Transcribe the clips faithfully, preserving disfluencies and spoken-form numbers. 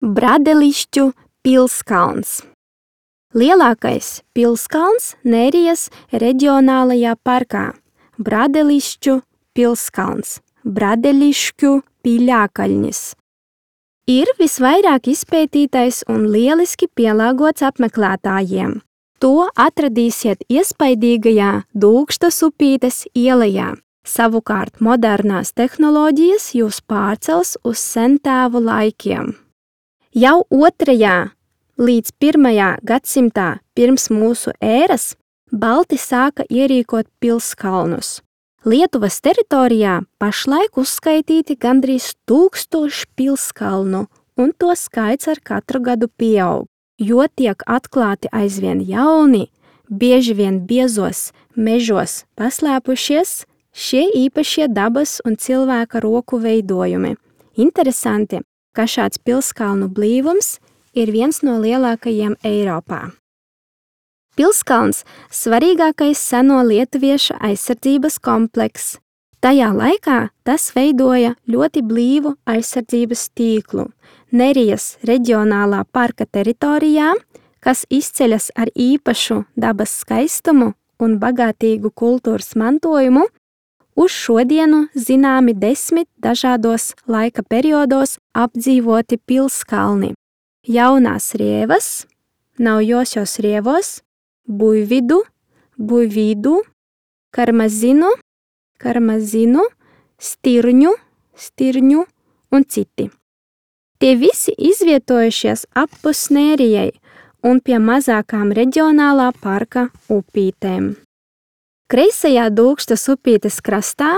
Bradelišķu pilskalns. Lielākais pilskalns Nerijas reģionālajā parkā. Bradelišķu pilskalns. Bradelišķu pīļākaļnis. Ir visvairāk izpētītais un lieliski pielāgots apmeklētājiem. To atradīsiet iespaidīgajā Dūkštas upītes ielajā. Savukārt modernās tehnoloģijas jūs pārcels uz sentēvu laikiem. Jau otrajā līdz pirmajā gadsimtā pirms mūsu ēras balti sāka ierīkot pilskalnus. Lietuvas teritorijā pašlaik uzskaitīti gandrīz tūkstoši pilskalnu, un to skaits ar katru gadu pieaug, jo tiek atklāti aizvien jauni, bieži vien biezos mežos paslēpušies šie īpašie dabas un cilvēka roku veidojumi. Interesanti, ka šāds pilskalnu blīvums ir viens no lielākajiem Eiropā. Pilskalns svarīgākais seno lietuviešu aizsardzības komplekss. Tajā laikā tas veidoja ļoti blīvu aizsardzības tīklu. Nerijas reģionālā parka teritorijā, kas izceļas ar īpašu dabas skaistumu un bagātīgu kultūras mantojumu, uz šodienu zināmi desmit dažādos laika periodos apdzīvoti pilskalni. Jaunās rievas, naujosios rievos, Buividu, Buividu, Karmazinu, Karmazinu, Stirņu, Stirņu un citi. Tie visi izvietojušies appus Nerijai un pie mazākām reģionālā parka upītēm. Kreisajā Dūkštas upītes krastā,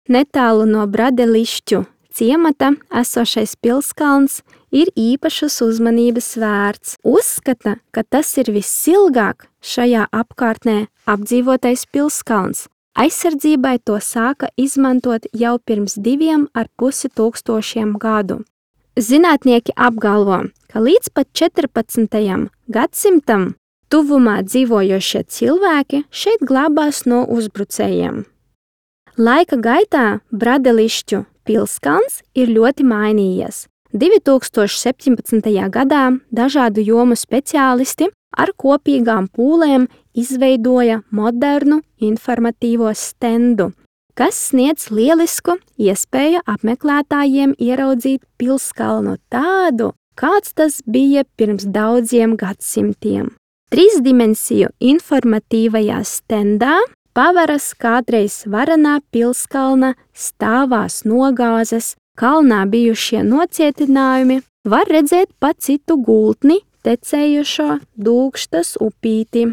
netālu no Bradelišķu ciemata esošais pilskalns ir īpašas uzmanības vērts. Uzskata, ka tas ir visilgāk šajā apkārtnē apdzīvotais pilskalns. Aizsardzībai to sāka izmantot jau pirms diviem ar pusi tūkstošiem gadu. Zinātnieki apgalvo, ka līdz pat četrpadsmitajam gadsimtam tuvumā dzīvojošie cilvēki šeit glābās no uzbrucējiem. Laika gaitā Bradelišķu pilskalns ir ļoti mainījies. divi tūkstoši septiņpadsmitajā gadā dažādu jomu speciālisti ar kopīgām pūlēm izveidoja modernu informatīvo stendu, kas sniedz lielisku iespēju apmeklētājiem ieraudzīt pilskalnu tādu, kāds tas bija pirms daudziem gadsimtiem. Trīsdimensiju informatīvajā stendā paveras kādreiz varenā pilskalna stāvās nogāzes, kalnā bijušie nocietinājumi, var redzēt pa citu gultni tecējušo Dūkštas upīti.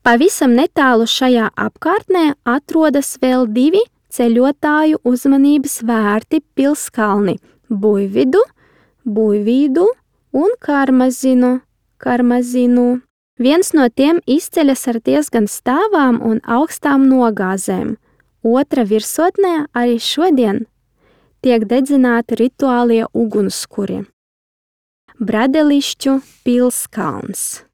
Pavisam netālu šajā apkārtnē atrodas vēl divi ceļotāju uzmanības vērti pilskalni – Buividu, Buividu un Karmazinu, Karmazinu. Viens no tiem izceļas ar diezgan stāvām un augstām nogāzēm. Otra virsotnē arī šodien tiek dedzināti rituālie ugunskuri. Bradelišķu pilskalns.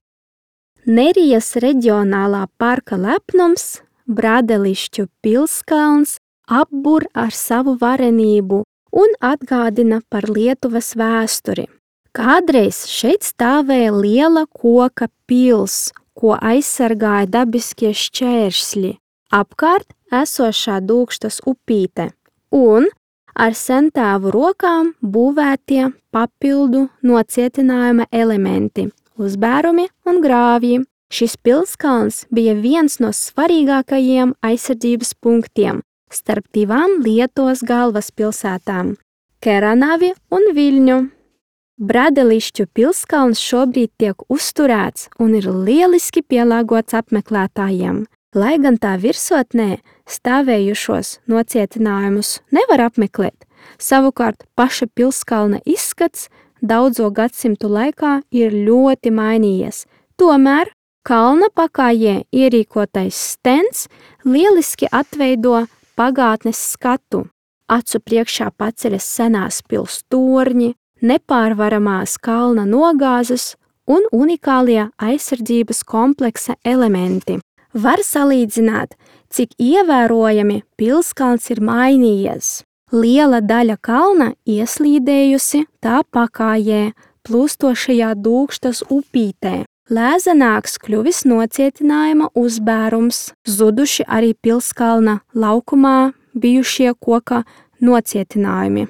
Nerijas reģionālā parka lepnums, Bradelišķu pilskalns, apbur ar savu varenību un atgādina par Lietuvas vēsturi. Kādreiz šeit stāvēja liela koka pils, ko aizsargāja dabiskie šķēršļi, apkārt esošā Dūkštas upīte un ar sentēvu rokām būvētie papildu nocietinājuma elementi – uzbērumi un grāvji. Šis pilskalns bija viens no svarīgākajiem aizsardzības punktiem starp divām Lietuvas galvaspilsētām – Keranavi un Viļņu. Bradelišķu pilskalns šobrīd tiek uzturēts un ir lieliski pielāgots apmeklētājiem. Lai gan tā virsotnē stāvējušos nocietinājumus nevar apmeklēt, savukārt paša pilskalna izskats daudzo gadsimtu laikā ir ļoti mainījies. Tomēr kalna pakājē ierīkotais stends lieliski atveido pagātnes skatu. Acu priekšā paceļas senās pils torņi, nepārvaramās kalna nogāzes un unikālie aizsardzības kompleksa elementi. Var salīdzināt, cik ievērojami pilskalns ir mainījies. Liela daļa kalna ieslīdējusi tā pakājē, plūstošajā Dūkštas upītē. Lēzenāks kļuvis nocietinājuma uzbērums, zuduši arī pilskalna laukumā bijušie koka nocietinājumi.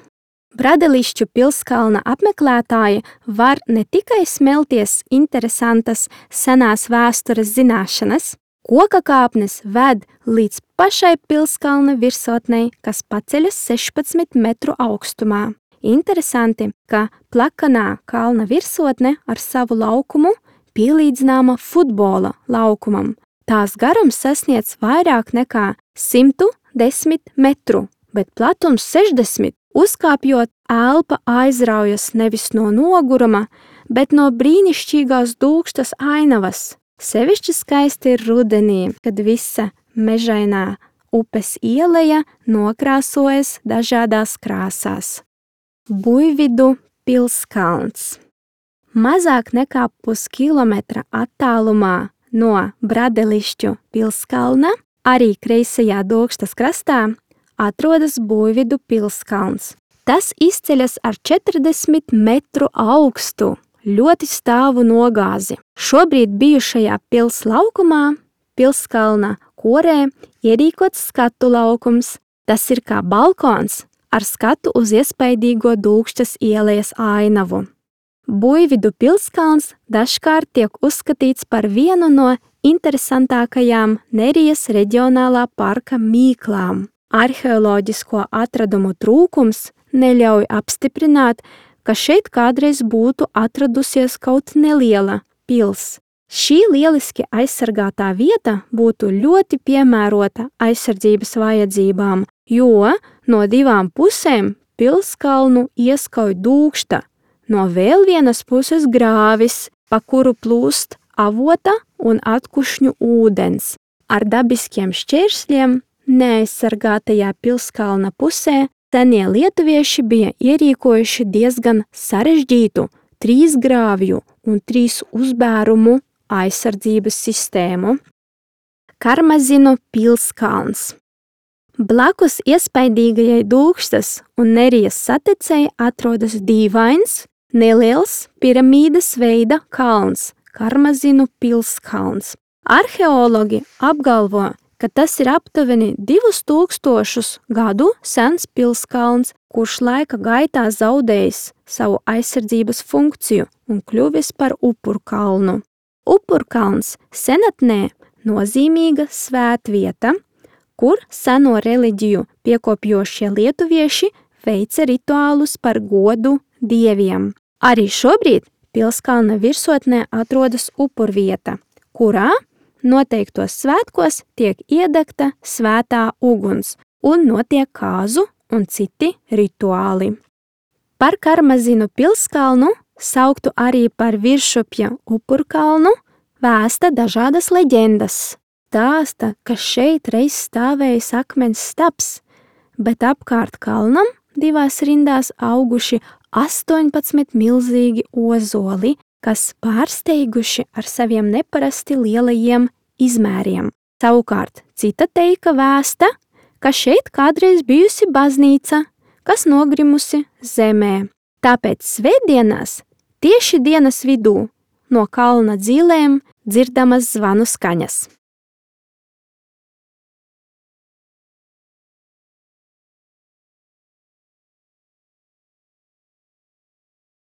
Bradelišķu pilskalna apmeklētāji var ne tikai smelties interesantas senās vēstures zināšanas, koka kāpnes ved līdz pašai pilskalna virsotnei, kas paceļas sešpadsmit metru augstumā. Interesanti, ka plakanā kalna virsotne ar savu laukumu pielīdzināma futbola laukumam. Tās garums sasniedz vairāk nekā simt desmit metru, bet platums sešdesmit. Uzkāpjot, elpa aizraujas nevis no noguruma, bet no brīnišķīgās Dūkštas ainavas. Sevišķi skaisti ir rudenī, kad visa mežainā upes ieleja nokrāsojas dažādās krāsās. Buividu pilskalns. Mazāk nekā puskilometra attālumā no Bradelišķu pilskalna, arī kreisajā Dūkštas krastā, atrodas Buividu pilskalns. Tas izceļas ar četrdesmit metru augstu, ļoti stāvu nogāzi. Šobrīd bijušajā pils laukumā, pilskalna korē, ierīkots skatu laukums. Tas ir kā balkons ar skatu uz iespaidīgo Dūkštas ieejas ainavu. Buividu pilskalns dažkārt tiek uzskatīts par vienu no interesantākajām Nerijas reģionālā parka mīklām. Arheoloģisko atradumu trūkums neļauj apstiprināt, ka šeit kādreiz būtu atradusies kaut neliela pils. Šī lieliski aizsargātā vieta būtu ļoti piemērota aizsardzības vajadzībām, jo no divām pusēm pilskalnu ieskauj Dūkšta, no vēl vienas puses grāvis, pa kuru plūst avota un atkušņu ūdens. Ar dabiskiem šķēršļiem neaizsargātajā pilskalna pusē senie lietuvieši bija ierīkojuši diezgan sarežģītu trīs grāvju un trīs uzbērumu aizsardzības sistēmu. Karmazinu pilskalns. Blakus iespaidīgajai Dūkštas un Nerijas satecei atrodas dīvains, neliels piramīdas veida kalns – Karmazinu pilskalns. Arheologi apgalvo, ka tas ir aptuveni divus tūkstošus gadu sens pilskalns, kurš laika gaitā zaudējis savu aizsardzības funkciju un kļuvis par upurkalnu. Upurkalns senatnē nozīmīga svētvieta, kur seno reliģiju piekopjošie lietuvieši veica rituālus par godu dieviem. Arī šobrīd pilskalna virsotnē atrodas upurvieta, kurā noteiktos svētkos tiek iedegta svētā uguns un notiek kāzu un citi rituāli. Par Karmazinu pilskalnu, sauktu arī par Viršupja upurkalnu, vēsta dažādas leģendas. Stāsta, ka šeit reiz stāvējis akmens stabs, bet apkārt kalnam divās rindās auguši astoņpadsmit milzīgi ozoli, kas pārsteiguši ar saviem neparasti lielajiem izmēriem. Savukārt cita teika vēsta, ka šeit kādreiz bijusi baznīca, kas nogrimusi zemē. Tāpēc svētdienās tieši dienas vidū no kalna dzīlēm dzirdamas zvanu skaņas.